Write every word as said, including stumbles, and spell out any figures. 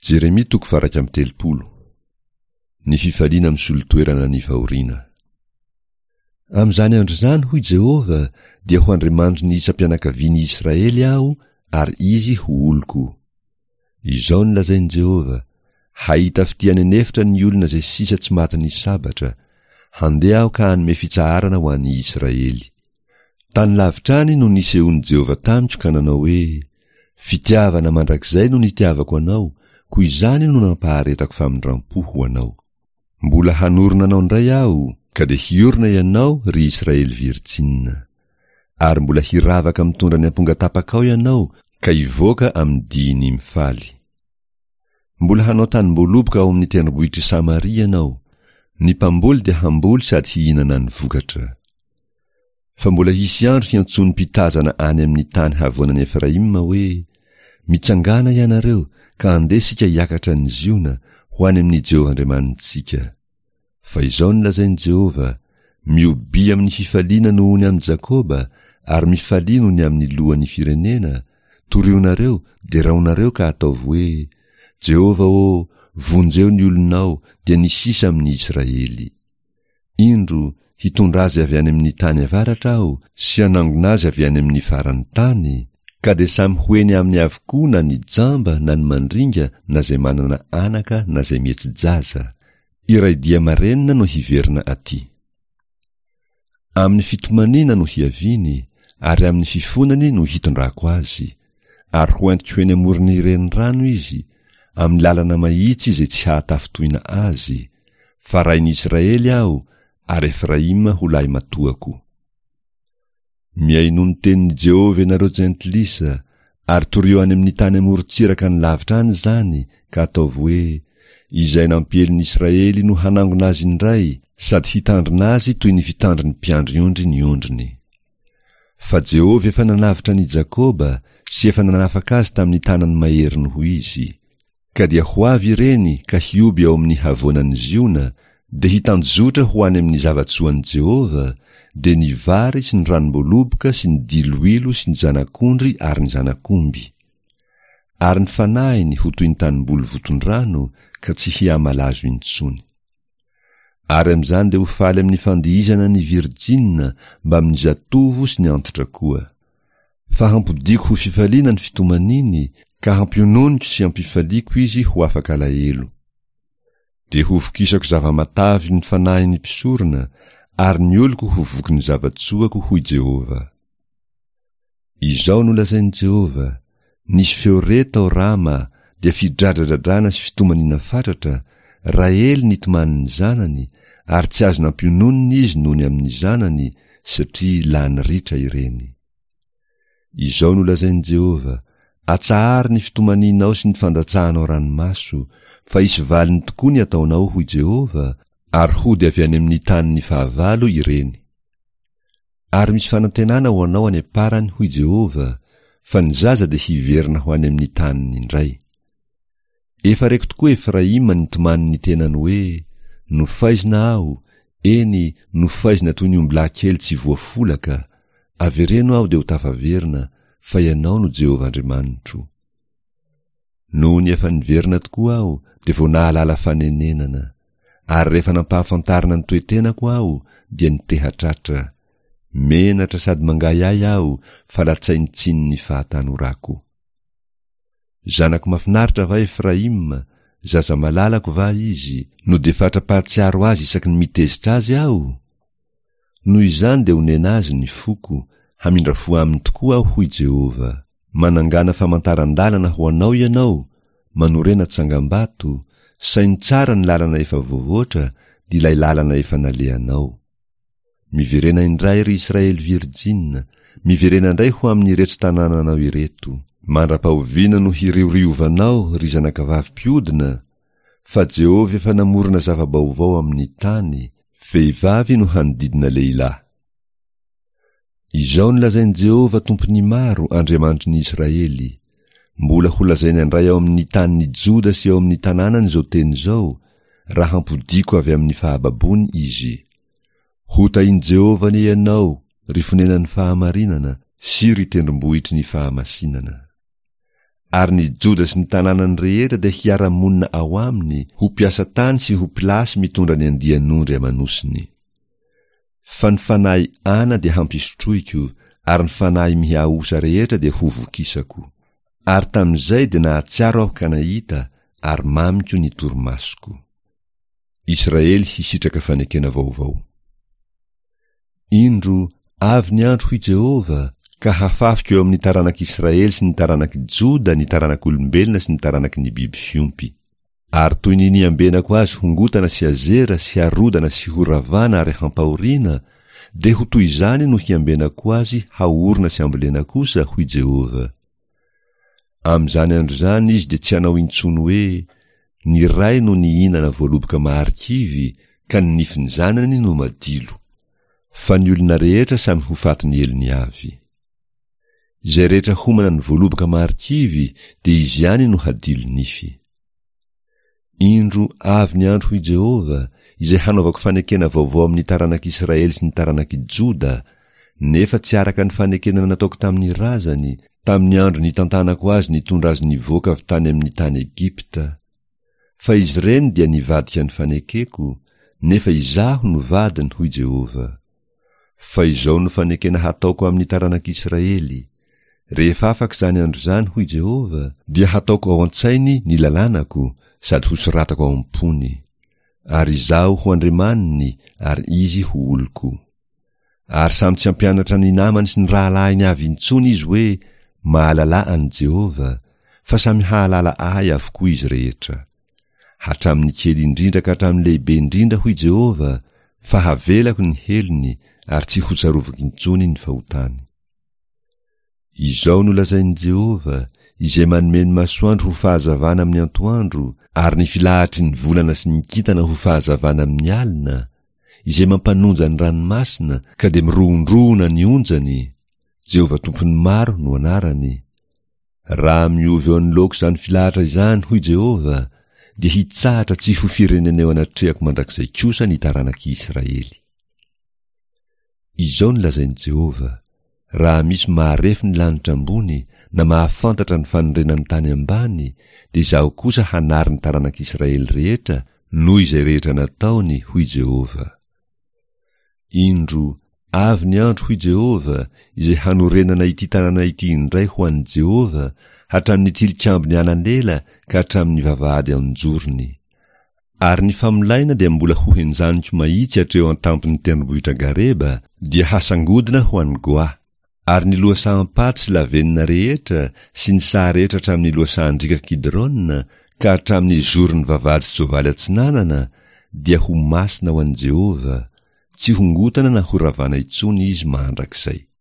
Jeremia toko faha-iraika amby telopolo. Ny fifaliana misolo toerana ny fahoriana. Amin'izany andro izany, hoy Jehovah, dia ho Andriamanitry ny isam-pianakavian'i Israely aho, ary izy ho oloko. Izao no lazain'i Jehovah, Hahita fitia any an'efitra ny olona izay sisa tsy matin'ny sabatra. Handeha aho ka hanome fitsaharana ho an'i Israely. Tany lavitra any no nisehoan'i Jehovah tamiko ka nanao hoe, Fitiavana mandrakizay no nitiavako anao, koa izany no nampaharetako famindram-po ho anao. Mbola hanorina anao indray aho, ka dia hiorina ianao, ry Israely virjina. Ary mbola hiravaka mitondra ny ampongatapakao ianao, ka hivoaka amin'ny dihiny mifaly. Mbola hanao tanimboaloboka ao amin'ny tendrombohitr'i Samaria ianao. Ny mpamboly dia hamboly sady hihinana ny vokatra. Fa mbola hisy andro hiantsoan'ny mpitazana any amin'ny tany havoanan'i Efraima hoe, Mitsangàna ianareo, ka andeha isika hiakatra any Ziona, ho any amin'i Jehovah Andriamanitsika. Fa izao no lazain'i Jehovah, Miobia amin'ny fifaliana noho ny amin'i Jakoba, ary mifalia noho ny amin'ny lohan'ny firenena, torionareo, deraonareo ka ataovy hoe, Jehovah ô, vonjeo ny olonao, dia ny sisa amin'ny Israely. Indro, hitondra azy avy any amin'ny tany avaratra aho sy hanangona azy avy any amin'ny faran'ny tany, ka dia samy ho eny aminy avokoa na ny jamba na ny mandringa na izay manana anaka na izay mihetsi-jaza. Iray dia marenina no hiverina aty. Amin'ny fitomaniana no hiaviany, ary amin'ny fifonany no hitondrako azy, ary ho entiko eny amoron'ny renirano izy, amin'ny lalana mahitsy izay tsy hahatafintohina azy, fa rain'i Israely aho, ary Efraima ho lahimatoako. Mihainoa ny tenin'i Jehovah ianareo jentilisa, ary torio any amin'ny tany amoron-tsiraka any lavitra any izany, ka ataovy hoe, Izay nampiely ny Israely no hanangona azy indray, sady hitandrina azy toy ny fitandrin'ny mpiandry ondry ny ondriny. Fa Jehovah efa nanavotra an'i Jakoba sy efa nanafaka azy tamin'ny tanany mahery noho izy. Ka dia ho avy ireny ka hioby ao amin'ny havoanan'i Ziona, dia hitanjozotra ho any amin'ny zava-tsoan'i Jehovah, dia ny vary sy ny ranom-boaloboka sy ny diloilo sy ny zanak'ondry ary ny zanak'omby. Ary ny fanahiny ho toy ny tanimboly voton-drano ka tsy hihamalazo intsony. Ary amin'izany dia ho faly amin'ny fandihizana ny virjina mbamin'ny zatovo sy ny antitra koa. Fa hampodiako ho fifaliana ny fitomaniany, ka hampiononiko sy hampifaliako izy ho afaka alahelo. Dia hovokisako zava-matavy ny fanahin'ny mpisorona, ary ny oloko ho vokin'ny zava-tsoako, hoy Jehovah. Izao no lazain'i Jehovah, Nisy feo re tao Rama, dia fidradradradrana sy fitomaniana fatratra, Rahely nitomany ny zanany, ary tsy azo nampiononina izy noho ny amin'ny zanany, satria lany ritra ireny. Izao no lazain'i Jehovah, Atsaharo ny fitomanianao sy ny fandatsahanao ranomaso, fa hisy valiny tokoa ny ataonao, hoy Jehovah, ary hody avy any amin'ny tanin'ny fahavalo ireny. Ary misy fanantenana ho anao any am-parany, hoy Jehovah, fa ny zaza dia hiverina ho any amin'ny taniny indray. Efa reko tokoa Efraima nitomany ny tenany hoe, Nofaizina aho, eny, nofaizina toy ny ombilahy kely tsy voafolaka, avereno aho dia ho tafaverina, fa Ianao no Jehovah Andriamanitro. Nony efa niverina tokoa aho dia vao nahalala fanenenana, ary rehefa nampahafantarina ny toe-tenako aho dia niteha-tratra. Menatra sady mangahiahy aho fa latsain-tsinin'ny fahatanorako. Zanako mahafinaritra va Efraima, zaza malalako va izy, no dia fatra-pahatsiaro azy isaky ny mitezitra azy aho? Noho izany dia onena azy ny foko, hamindra fo aminy tokoa aho, hoy Jehovah. Manangàna famantaran-dalana ho anao ianao, manorena tsangambato, saino tsara ny lalana efa voavoatra, dia ilay lalana efa nalehanao. Miverena indray, ry Israely virjina, miverena indray ho amin'ireto tanànanao ireto. Mandra-pahoviana no hirioriovanao, ry zanakavavy mpiodina? Fa Jehovah efa namorona zava-baovao amin'ny tany, vehivavy no hanodidina lehilahy. Izao no lazain'i Jehovah Tompon'ny maro, Andriamanitry ny Israely, Mbola holazaina indray ao amin'ny tanin'i Joda sy ao amin'ny tanànany izao teny izao, raha hampodiako avy amin'ny fahababoany izy. Hotahin'i Jehovah anie ianao, ry fonenan'ny fahamarinana, sy ry tendrombohitry ny fahamasinana. Ary ny Joda sy ny tanànany rehetra dia hiara-monina ao aminy, ho mpiasa tany sy ho mpilasy mitondra ny andian'ondry aman'osiny. Fa ny fanahy ana dia hampisotroiko, ary ny fanahy mihaosa rehetra dia hovokisako. Ary tamin'izay dia nahatsiaro aho ka nahita, ary mamiko ny torimasoko. Israely hisitraka fanekena vaovao. Indro, avy ny andro, hoy Jehovah, ka hafafiko eo amin'ny taranak'Israely sy ny taranak'i Joda ny taranak'olombelona sy ny taranaky ny biby fiompy. Ary toy ny niambenako azy hongotana sy azera sy harodana sy horavana ary hampahoriana, dia ho toy izany no hiambenako azy haorina sy hambolena kosa, hoy Jehovah. Amin'izany andro izany izy dia tsy hanao intsony hoe, Ny ray no nihinana voaloboka maharikivy, ka ny nifin'ny zanany no madilo. Fa ny olona rehetra samy ho fatin'ny helony avy. Izay rehetra homana ny voaloboka maharikivy dia izy ihany no hadilo nify. Indro, avy ny andro, hoy Jehovah, izay hanaovako fanekena vaovao amin'ny taranak'Israely sy ny taranak'i Joda, nefa tsy araka ny fanekena nataoko tamin'ny razany, tamin'ny andro nitantanako azy nitondra azy nivoaka avy tany amin'ny tany Egypta. Fa izy ireny dia nivadika ny fanekeko, nefa Izaho no vadiny, hoy Jehovah. Fa izao no fanekena hataoko amin'ny taranak'Israely, Rehefa afaka izany andro izany, hoy Jehovah, dia hataoko ao an-tsainy ny lalànako, sady hosoratako ao am-pony. Ary Izaho ho Andriamaniny, ary izy ho oloko. Ary samy tsy hampianatra ny namany sy ny rahalahiny avy intsony izy hoe, Mahalalà an'i Jehovah, fa samy hahalala Ahy avokoa izy rehetra. Hatramin'ny kely indrindra ka hatramin'ny lehibe indrindra, hoy Jehovah, fa havelako ny helony, ary tsy hotsaroviko intsony ny fahotany. Izao no lazain'i Jehovah, Izay manome ny masoandro ho fahazavana amin'ny antoandro, ary ny filahatry ny volana sy ny kintana ho fahazavana amin'ny alina, Izay mampanonja ny ranomasina, ka dia mirohondrohona ny onjany, Jehovah Tompon'ny maro no anarany. Raha miova eo anoloako izany filahatra izany, hoy Jehovah, dia hitsahatra tsy ho firenena eo anatrehako mandrakizay kosa ny taranak'i Israely. Izao no lazain'i Jehovah, Raha misy maharefy ny lanitra ambony, na mahafantatra ny fanorenan'ny tany ambany, dia Izaho kosa hanary ny taranak'Israely rehetra noho izay rehetra nataony, hoy Jehovah. Indro, avy ny andro, hoy Jehovah, izay hanorenana ity tanàna ity indray ho an'i Jehovah, hatramin'ny tilikambon'i Ananela ka hatramin'ny vavahady an-jorony. Ary ny famolaina dia mbola hohenjaniko mahitsy hatreo an-tampon'ny tendrombohitra Gareba, dia hasangodina ho an'i Goa. Ary ny lohasaham-paty sy lavenona rehetra, sy ny saha rehetra hatramin'ny lohasahan-driaka Kidrona, ka hatramin'ny zoron'ny vavahady soavaly atsinanana, dia ho masina ho an'i Jehovah, tsy hongotana na horavana intsony izy mandrakizay.